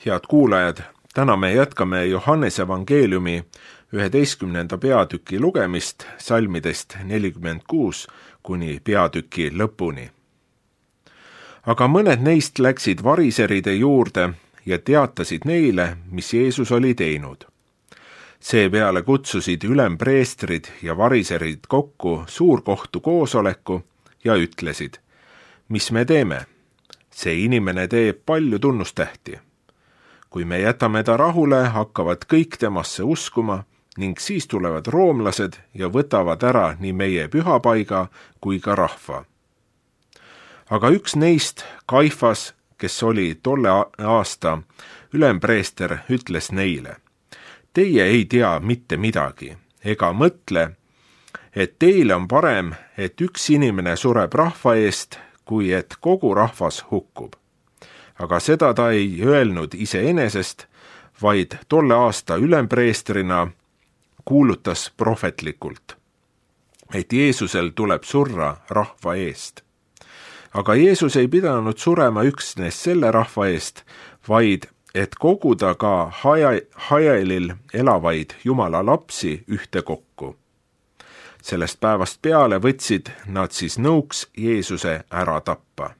Head kuulajad, täna me jätkame Johannese evangeeliumi 11. peatüki lugemist salmidest 46 kuni peatüki lõpuni. Aga mõned neist läksid variseride juurde ja teatasid neile, mis Jeesus oli teinud. Seepeale kutsusid ülempreestrid ja variserid kokku suurkohtu koosoleku ja ütlesid, mis me teeme? See inimene teeb palju tunnustähti. Kui me jätame ta rahule, hakkavad kõik temasse uskuma ning siis tulevad roomlased ja võtavad ära nii meie pühapaiga kui ka rahva. Aga üks neist, Kaifas, kes oli tolle aasta ülempreester, ütles neile, teie ei tea mitte midagi ega mõtle, et teile on parem, et üks inimene sureb rahva eest, kui et kogu rahvas hukkub. Aga seda ta ei öelnud iseenesest, vaid tolle aasta ülempreestrina kuulutas prohvetlikult, et Jeesusel tuleb surra rahva eest. Aga Jeesus ei pidanud surema üksnes selle rahva eest, vaid et koguda ka Hajaelil elavaid Jumala lapsi ühte kokku. Sellest päevast peale võtsid nad siis nõuks Jeesuse ära tappa.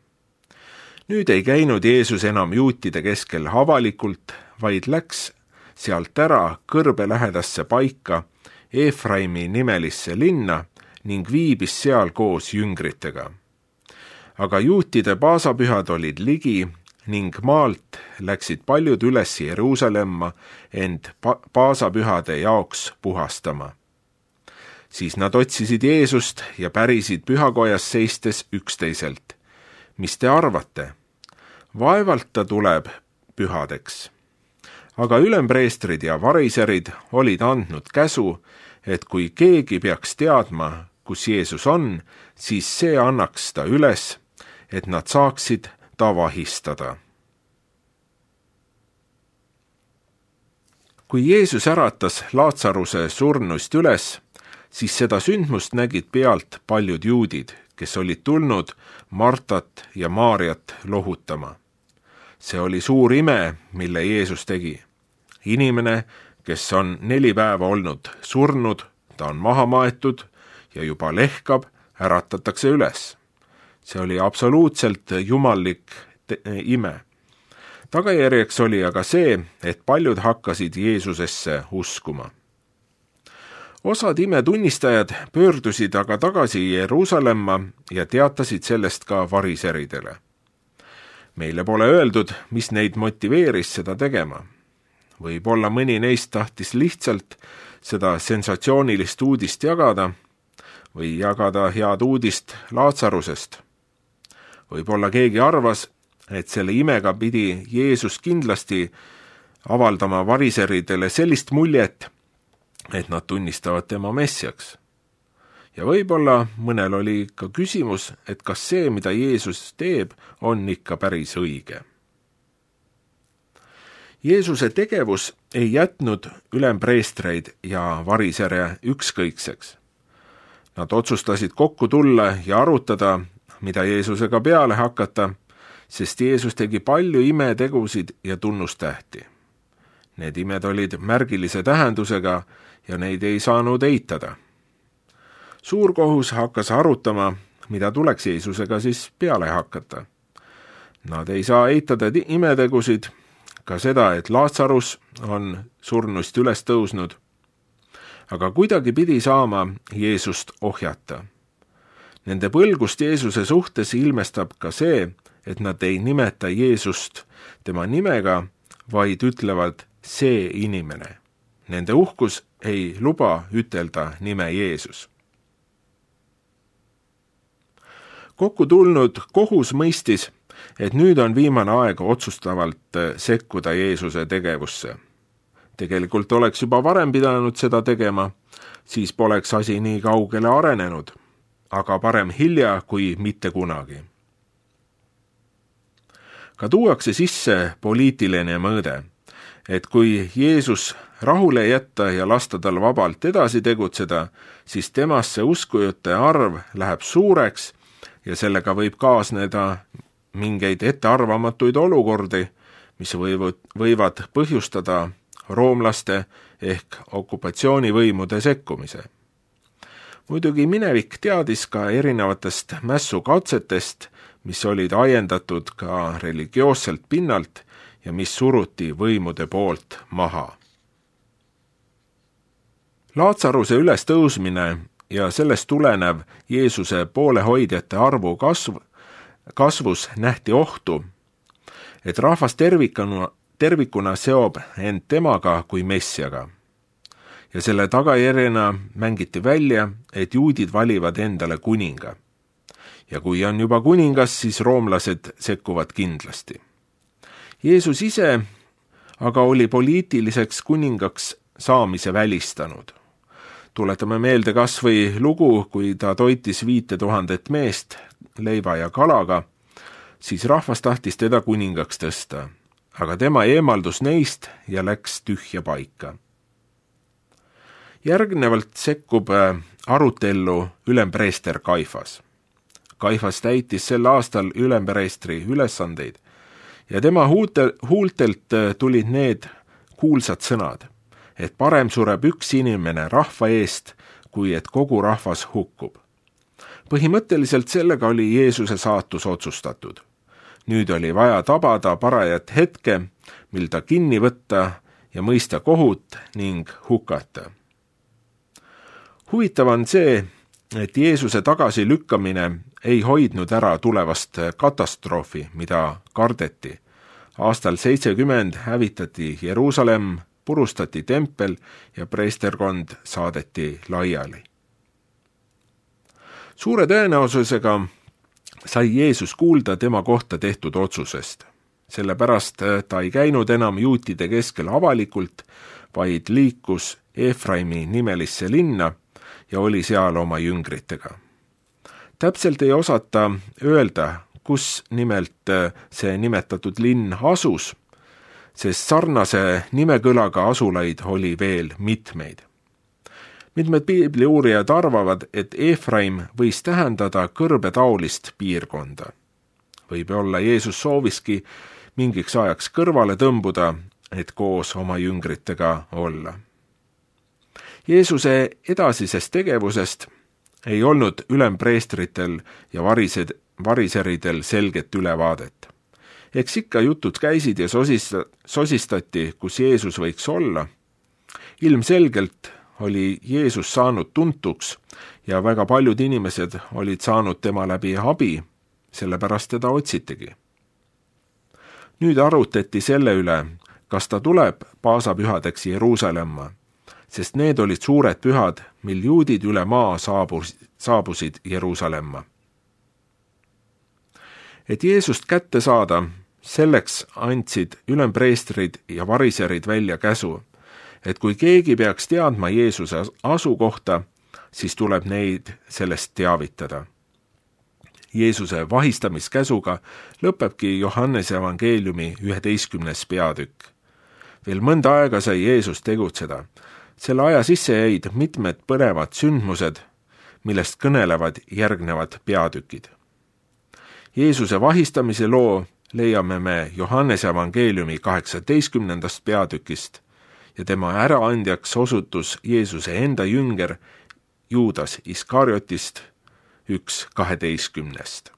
Nüüd ei käinud Jeesus enam juutide keskel avalikult, vaid läks sealt ära kõrbelähedasse paika Efraimi nimelisse linna ning viibis seal koos jüngritega. Aga juutide paasapühad olid ligi ning maalt läksid paljud üles Jeruusalemma end paasapühade jaoks puhastama. Siis nad otsisid Jeesust ja pärisid pühakojas seistes üksteiselt. Mis te arvate? Vaevalt ta tuleb pühadeks. Aga ülempreestrid ja variserid olid andnud käsu, et kui keegi peaks teadma, kus Jeesus on, siis see annaks ta üles, et nad saaksid ta vahistada. Kui Jeesus äratas Laatsaruse surnust üles, siis seda sündmust nägid pealt paljud juudid, kes olid tulnud Martat ja Maarjat lohutama. See oli suur ime, mille Jeesus tegi. Inimene, kes on 4 päeva olnud surnud, ta on maha maetud ja juba lehkab, äratatakse üles. See oli absoluutselt jumallik ime. Tagajärjeks oli aga see, et paljud hakkasid Jeesusesse uskuma. Osad imetunnistajad pöördusid aga tagasi Jeruusalemma ja teatasid sellest ka variseridele. Meile pole öeldud, mis neid motiveeris seda tegema. Võib-olla mõni neist tahtis lihtsalt seda sensatsioonilist uudist jagada või jagada head uudist Laatsarusest. Võib-olla keegi arvas, et selle imega pidi Jeesus kindlasti avaldama variseridele sellist muljet, et nad tunnistavad tema messiaks. Ja võib-olla mõnel oli ka küsimus, et kas see, mida Jeesus teeb, on ikka päris õige. Jeesuse tegevus ei jätnud ülempreestreid ja varisere ükskõikseks. Nad otsustasid kokku tulla ja arutada, mida Jeesusega peale hakata, sest Jeesus tegi palju imetegusid ja tunnustähti. Need imed olid märgilise tähendusega ja neid ei saanud eitada. Suurkohus hakkas arutama, mida tuleks Jeesusega siis peale hakata. Nad ei saa eitada imetegusid, ka seda, et Laatsarus on surnust üles tõusnud, aga kuidagi pidi saama Jeesust ohjata. Nende põlgust Jeesuse suhtes ilmestab ka see, et nad ei nimeta Jeesust tema nimega, vaid ütlevad see inimene. Nende uhkus ei luba ütelda nime Jeesus. Kokku tulnud kohus mõistis, et nüüd on viimane aeg otsustavalt sekkuda Jeesuse tegevusse. Tegelikult oleks juba varem pidanud seda tegema, siis poleks asi nii kaugele arenenud, aga parem hilja kui mitte kunagi. Ka tuuakse sisse poliitiline mõõde, et kui Jeesus rahule jätta ja lasta tal vabalt edasi tegutseda, siis temasse uskujate arv läheb suureks ja sellega võib kaasneda mingeid ettearvamatuid olukordi, mis võivad põhjustada roomlaste ehk okupatsioonivõimude sekkumise. Muidugi minevik teadis ka erinevatest mässukatsetest, mis olid ajendatud ka religioosselt pinnalt ja mis suruti võimude poolt maha. Laatsaruse ülestõusmine ja sellest tulenev Jeesuse poolehoidjate arvu kasvus nähti ohtu, et rahvas tervikuna seob end temaga kui messiaga. Ja selle tagajärjena mängiti välja, et juudid valivad endale kuninga. Ja kui on juba kuningas, siis roomlased sekkuvad kindlasti. Jeesus ise aga oli poliitiliseks kuningaks saamise välistanud. Tuletame meelde kas või lugu, kui ta toitis 5000 meest leiva ja kalaga, siis rahvas tahtis teda kuningaks tõsta, aga tema eemaldus neist ja läks tühja paika. Järgnevalt sekkub arutellu ülempreester Kaifas. Kaifas täitis sel aastal ülempreestri ülesandeid ja tema huultelt tulid need kuulsad sõnad, et parem sureb üks inimene rahva eest, kui et kogu rahvas hukkub. Põhimõtteliselt sellega oli Jeesuse saatus otsustatud. Nüüd oli vaja tabada parajat hetke, mil ta kinni võtta ja mõista kohut ning hukata. Huvitav on see, et Jeesuse tagasilükkamine ei hoidnud ära tulevast katastroofi, mida kardeti. Aastal 70 hävitati Jeruusalemm, purustati tempel ja preesterkond saadeti laiali. Suure tõenäosusega sai Jeesus kuulda tema kohta tehtud otsusest. Sellepärast ta ei käinud enam juutide keskel avalikult, vaid liikus Efraimi nimelisse linna ja oli seal oma jüngritega. Täpselt ei osata öelda, kus nimelt see nimetatud linn asus, sest sarnase nimekõlaga asulaid oli veel mitmeid. Mitmed piibliuurijad arvavad, et Efraim võis tähendada kõrbetaolist piirkonda. Võib-olla Jeesus sooviski mingiks ajaks kõrvale tõmbuda, et koos oma jüngritega olla. Jeesuse edasisest tegevusest ei olnud ülempreestritel ja variseridel selget ülevaadet. Eks ikka jutud käisid ja sosistati, kus Jeesus võiks olla. Ilmselgelt oli Jeesus saanud tuntuks ja väga paljud inimesed olid saanud tema läbi abi, sellepärast teda otsitigi. Nüüd arutati selle üle, kas ta tuleb paasapühadeks Jeruusalemma, sest need olid suured pühad, mil juudid üle maa saabusid Jeruusalemma. Et Jeesust kätte saada, selleks andsid ülempreestrid ja variserid välja käsu, et kui keegi peaks teadma Jeesuse asukohta, siis tuleb neid sellest teavitada. Jeesuse vahistamiskäsuga lõpebki Johannese evangeeliumi 11. peatükk. Veel mõnda aega sai Jeesus tegutseda. Selle aja sisse jäid mitmed põnevad sündmused, millest kõnelevad järgnevad peatükid. Jeesuse vahistamise loo leiame me Johannese evangeeliumi 18. peatükist ja tema äraandjaks osutus Jeesuse enda jünger Juudas Iskariotist 1:12.